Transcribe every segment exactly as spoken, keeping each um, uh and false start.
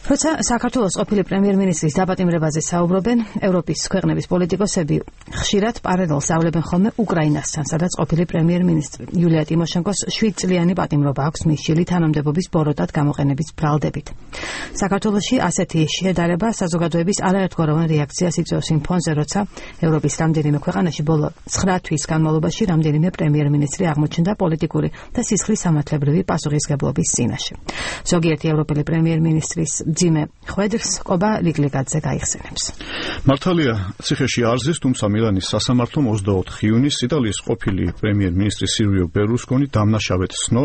როცა საქართველოს ყოფილი პრემიერ-მინისტრის დაპატიმრებაზე საუბრობენ, ევროპის ქვეყნების პოლიტიკოსები ხშირად პარალელს ავლებენ ხოლმე უკრაინასთან, სადაც ყოფილი პრემიერ-მინისტრი იულია ტიმოშენკოს შვიდ წლიანი პატიმრობა აქვს მისშილი თანამდებობის ბოროტად გამოყენების ბრალდებით. საქართველოში ასეთი შედარება საზოგადოების არაერთგვაროვან რეაქციას იწვევს იმ ფონზე, როცა ევროპის რამდენიმე ქვეყანაში ბოლო ცხრა თვის განმავლობაში რამდენიმე პრემიერ-მინისტრი აღმოჩნდა პოლიტიკური და სისხლის სამართლებრივი პასუხისგებლობის წინაშე. ზოგიერთი ევროპელი პრემიერ-მინისტრის ძიმე ხვედრს ყობა ლიგლიგაძე გაიხსენებს. მართალია, ციხეში არ ზის, თუმცა მილანის სასამართლომ ოცდაოთხ იუნის იტალიის ყოფილი პრემიერ-მინისტრი სილვიო ბერლუსკონი დამნაშავედ სცნო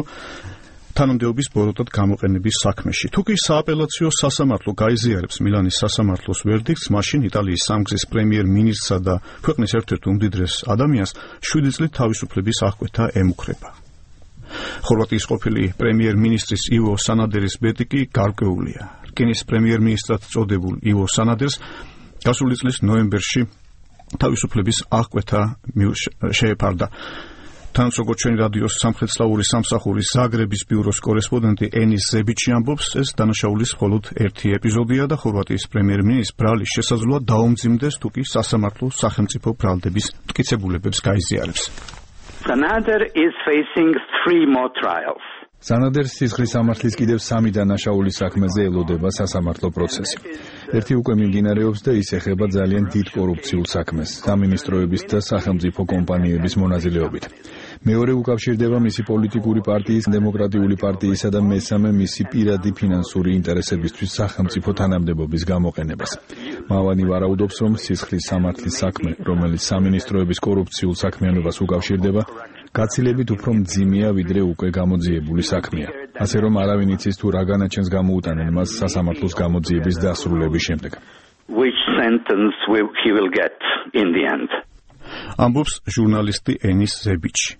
თანამდებობის ბოროტად გამოყენების საქმეში. თუ კი სააპელაციო სასამართლო გაიზიარებს მილანის სასამართლოს ვერდიქტს, მაშინ იტალიის სამგზის პრემიერ-მინისტრსა და ქვეყნის ერთ-ერთ უმდიდრეს ადამიანს შვიდი წლით თავისუფლების აღკვეთა ემუქრება. ხორვატიის ყოფილი პრემიერ-მინისტრის ივო სანადერის ბედი კი გარკვეულია. რკინის პრემიერ-მინისტრად წოდებულ ივო სანადერს გასული წლის ნოემბერში თავისუფლების აღკვეთა შეეფარდა. თან როგორც ჩვენი რადიოს სამხრეთსლავური სამსახურის ზაგრების ბიუროს კორესპონდენტი ენის ზებიჩი ამბობს, ეს დანაშაულის მხოლოდ ერთი ეპიზოდია და ხორვატიის პრემიერ-მინისტრს ბრალის შესაძლოა დაუმძიმდეს, თუ კი სასამართლო სახელმწიფო ბრალდების მტკიცებულებებს გაიზიარებს. Sanader is facing three more trials. სანადერს სისხლის სამართლის კიდევ სამი დანაშაულის საქმეზე ელოდება სასამართლო პროცესი. ერთი უკვე მიმდინარეობს და ის ეხება ძალიან დიდ კორუფციულ საქმეს, სამინისტროების და სახელმწიფო კომპანიების მონაწილეობით. მეორე უკავშირდება მისი პოლიტიკური პარტიის, დემოკრატიული პარტიისა და მესამე მისი პირადი ფინანსური ინტერესებისთვის სახელმწიფო თანამდებობის გამოყენებას. მავანი ვარაუდობს, რომ სისხლის სამართლის საქმე, რომელიც სამინისტროების კორუფციულ საქმიანობას უკავშირდება, გაცილებით უფრო მძიმეა, ვიდრე უკვე გამოძიებული საქმეა. ასე რომ არავინ იცის თუ რა განაჩენს გამოუტანენ მას სასამართლოს გამოძიების დასრულების შემდეგ. Which sentence will he will get in the end? ამბობს ჟურნალისტი ენის ზებიჩი.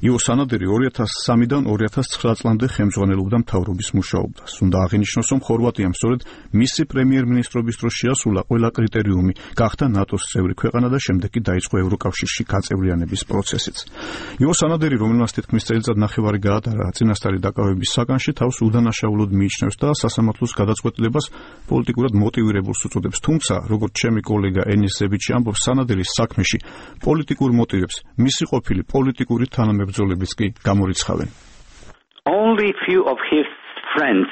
ივო სანადერი ორი ათას სამიდან ორი ათას ცხრა წლამდე ხელმძღვანელობდა მთავრობის მუშაობას. უნდა აღინიშნოს, რომ ხორვატიამ სწორედ მისი პრემიერ-მინისტრობის დროს შეასრულა ყველა კრიტერიუმი, გახდა ნატოს წევრი ქვეყანა და შემდეგ კი დაიწყო ევროკავშირში გაწევრიანების პროცესიც. ივო სანადერი, რომელმაც თითქმის წელიწად ნახევარი გაატარა წინასწარი დაკავების საგანში, თავს უდანაშაულოდ მიიჩნევს და სასამართლოს გადაწყვეტილებას პოლიტიკურად მოტივირებულს უწოდებს. თუმცა, როგორც ჩემი კოლეგა ენის ზებიჩი ამბობს, სანადერის საქმეში პოლიტიკურ მოტივებს მისი ყოფილი პოლიტიკური თანამებრძოლებიც კი გამორიცხავენ. Only few of his friends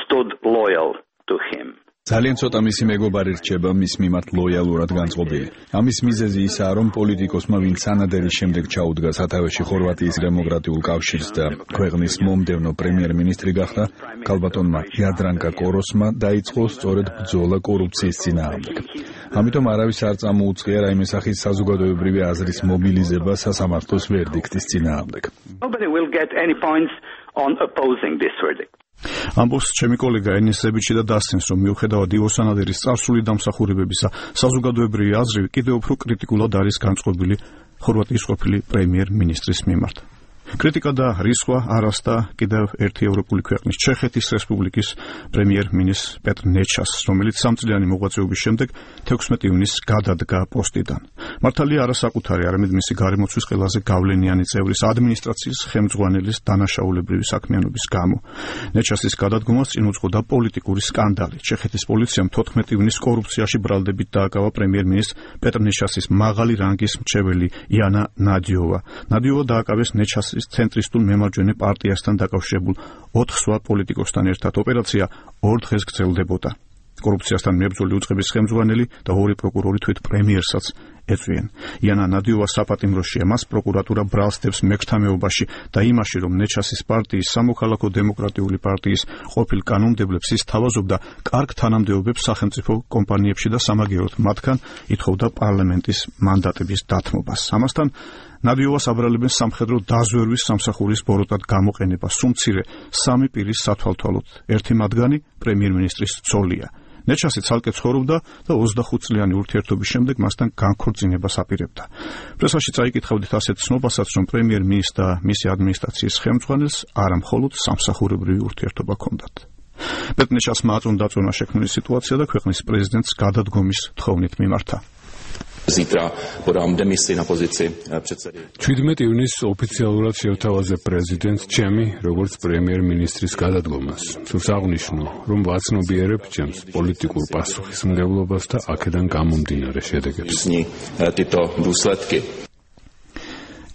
stood loyal to him. ძალიან ცოტა მისი მეგობარი რჩება მის მიმართ ლოიალურად განწყობილი. ამის მიზეზი ისაა, რომ პოლიტიკოსმა, ვინც სანადერის შემდეგ ჩაუდგა სათავეში ხორვატიის დემოკრატიულ კავშირს და ქვეყნის მომდევნო პრემიერ-მინისტრი გახდა, ქალბატონმა იადრანკა კოროსმა დაიწყო სწორედ ბრძოლა კორუფციის წინააღმდეგ. ამიტომ არავის არ წამოუწყია რაიმე სახის საზოგადოებრივი აზრის მობილიზება სასამართლოს ვერდიქტის წინააღმდეგ. Nobody will get any points on opposing this verdict. ამბობს ჩემი კოლეგა ენის ზებიჩი და დასცინს, რომ მიუხედავად ივო სანადერის წარსული დამსახურებებისა, საზოგადოებრივი აზრი კიდევ უფრო კრიტიკულად არის განწყობილი ხორვატიის ყოფილი პრემიერ-მინისტრის მიმართ. კრიტიკა და რისხვა არასდა კიდევ ერთი ევროპული ქვეყნის ჩეხეთის რესპუბლიკის პრემიერ-მინისტრ პეტრ ნეჩას, რომელიც სამწლიანი მოღვაწეობის შემდეგ თექვსმეტი ივნისს გადადგა პოსტიდან. მართალია არასაკუთარი, არამედ მისი გარემოცვის ყველაზე გავლენიანი წევრის ადმინისტრაციის ხელმძღვანელის დანაშაულებრივი საქმიანობის გამო. ნეჩასის გადადგომას წინ უძღოდა პოლიტიკური სკანდალი. ჩეხეთის პოლიციამ თოთხმეტი ივნისს კორუფციაში ბრალდებით დააკავა პრემიერ-მინისტრ პეტრ ნეჩასის მაღალი რანგის მრჩეველი იანა ნადიოვა. ნადიოვა დააკავეს ნეჩასის ცენტრისტულ მემარჯვენე პარტიასთან დაკავშირებულ ოთხ სხვა პოლიტიკოსთან ერთად. ოპერაცია ორ დღეს გრძელდებოდა. კორუფციასთან მებრძოლი უწყების ხელმძღვანელი და ორი პროკურორი თვით პრემიერსაც ეწვიან. იანა ნადიოვა საპატიმროშია, მას პროკურატურა ბრალს დებს მეკრთამეობაში და იმაში, რომ ნეჩასის პარტიის სამოქალაქო დემოკრატიული პარტიის ყოფილ კანონმდებლებს ის თავაზობდა კარგ თანამდებობებს სახელმწიფო კომპანიებში და სამაგიეროდ მათგან ითხოვდა პარლამენტის მანდატების დათმობას. ამასთან ნადიოვას აბრალებენ სამხედრო დაზვერვის სამსახურის ბოროტად გამოყენებას, სუმცირე სამი პირის სათვალთვალოდ. ერთი მათგანი პრემიერ-მინისტრის ცოლია. ნეჩასი ცალკე ცხოვრობდა და ოცდახუთ წლიანი ურთიერთობის შემდეგ მასთან განქორწინებას აპირებდა. პრესაში წაიკითხავდით ასეთ ცნობასაც, რომ პრემიერ-მინისტრს და მისი ადმინისტრაციის ხელმძღვანელს არა მხოლოდ სამსახურებრივი ურთიერთობა ჰქონდათ. პეტრ ნეჩასმა აწონდა დაწონა შექმნილი სიტუაცია და ქვეყნის პრეზიდენტს გადადგომის თხოვნით მიმართა. ჩვიდმეტ ივნისს ოფიციალურად შევთავაზე პრეზიდენტს ჩემი როგორც პრემიერ-მინისტრის გადადგომას. სურს აღნიშნო, რომ ვაცნობიერებ ჩემს პოლიტიკურ პასუხისმგებლობას და აქედან გამომდინარე შედეგებს.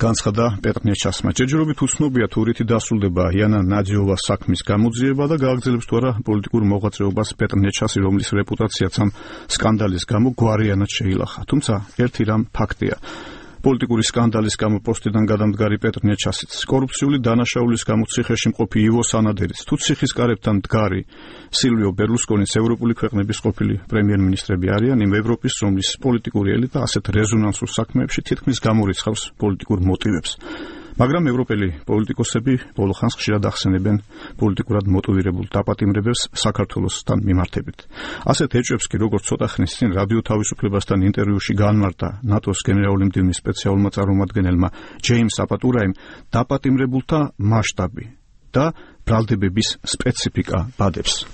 განცხადა პეტრ ნეჩასმა. ჯერჯერობით უცნობია თუ რითი დასრულდება იანა ნაძიოვას საქმის გამოძიება და გააგრძელებს თუ არა პოლიტიკურ მოღვაწეობას პეტრ ნეჩასი, რომლის რეპუტაციაც ამ სკანდალის გამო გვარიანად შეილახა. თუმცა ერთი რამ ფაქტია. პოლიტიკური სკანდალის გამო პოსტიდან გადამდგარი პეტრ ნეჩასიც, კორუფციული დანაშაულის გამო ციხეში მყოფი ივო სანადერიც, თუ ციხის კარებთან მდგარი სილვიო ბერლუსკონის ევროპული ქვეყნების ყოფილი პრემიერ-მინისტრები არიან იმ ევროპის, რომლის პოლიტიკური ელიტა ასეთ რეზონანსურ საქმეებში თითქმის გამორიცხავს პოლიტიკურ მოტივებს. მაგრამ ევროპელი პოლიტიკოსები ბოლო ხანს ხშირად ახსენებენ პოლიტიკურად მოტივირებულ დაპატიმრებებს საქართველოსთან მიმართებით. ასეთ ეჭვებს კი როგორც ცოტა ხნის წინ რადიო თავისუფლებასთან ინტერვიუში განმარტა ნატოს გენერალური მდივნის სპეციალურმა წარმომადგენელმა ჯეიმს აპატურაიმ, დაპატიმრებულთა მასშტაბი და ბრალდებების სპეციფიკა ბადებს.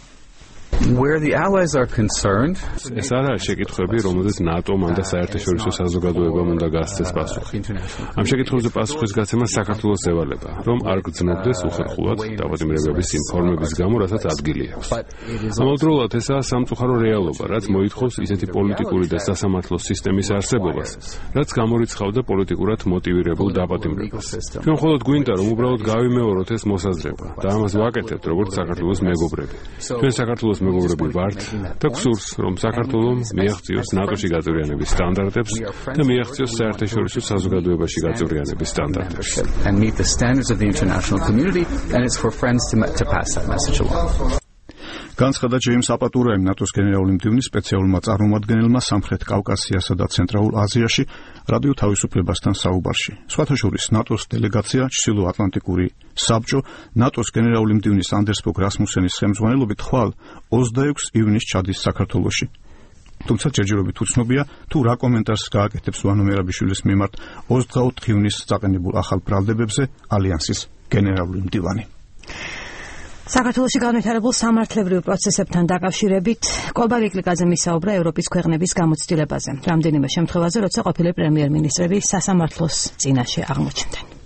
Where the allies are concerned, ეს არა შეკითხვები, რომელზეც ნატომ და საერთაშორისო საზოგადოებამ უნდა გასცეს პასუხი. ამ შეკითხვებზე პასუხის გაცემა საქართველოს ევალება, რომ არ გრძნობდეს უხერხულად დაპატიმრებების იმ ფორმების გამო, რასაც ადგილი აქვს. ამავდროულად ესაა სამწუხარო რეალობა, რაც მოითხოვს ისეთი პოლიტიკური და სასამართლო სისტემის არსებობას, რაც გამორიცხავდა პოლიტიკურად მოტივირებულ დაპატიმრებას. ჩვენ მხოლოდ გვინდა, რომ უბრალოდ გავიმეოროთ ეს მოსაზრება და ამას ვაკეთებთ, როგორც საქართველოს მეგობრები. ჩვენ საქართველოს მეგობრები ვართ და გსურს, რომ საქართველოს მიაღწიოს ნატოში გაწევრიანების სტანდარტებს და მიაღწიოს საერთაშორისო საზოგადოებაში გაწევრიანების სტანდარტებს. and meet the standards of the international community, and it's for friends to, to pass that message along. განცხადა ჯეიმს აპატურაიმ ნატოს გენერალური მდივნის სპეციალურმა წარმომადგენელმა სამხრეთ კავკასიასა და ცენტრალურ აზიაში რადიო თავისუფლებასთან საუბარში. სხვათა შორის ნატოს დელეგაცია ჩრდილოატლანტიკური საბჭო ნატოს გენერალური მდივნის ანდერს ფოგ რასმუსენის ხელმძღვანელობით ხვალ ოცდაექვსი ივნისს ჩადის საქართველოში. თუმცა ჯერჯერობით უცნობია თუ რა კომენტარს გააკეთებს ვანო მერაბიშვილის მიმართ ოცდაოთხი ივნისს წაყენებულ ახალ ბრალდებებზე ალიანსის გენერალური მდივანი. საქართველოში განვითარებულ სამართლებრივ პროცესებთან დაკავშირებით კობა ვიკლიკაძე მისაუბრა ევროპის ქვეყნების გამოცდილებაზე. რამდენიმე შემთხვევაზე, როცა ყოფილი პრემიერ-მინისტრები სასამართლოს წინაშე აღმოჩნდნენ.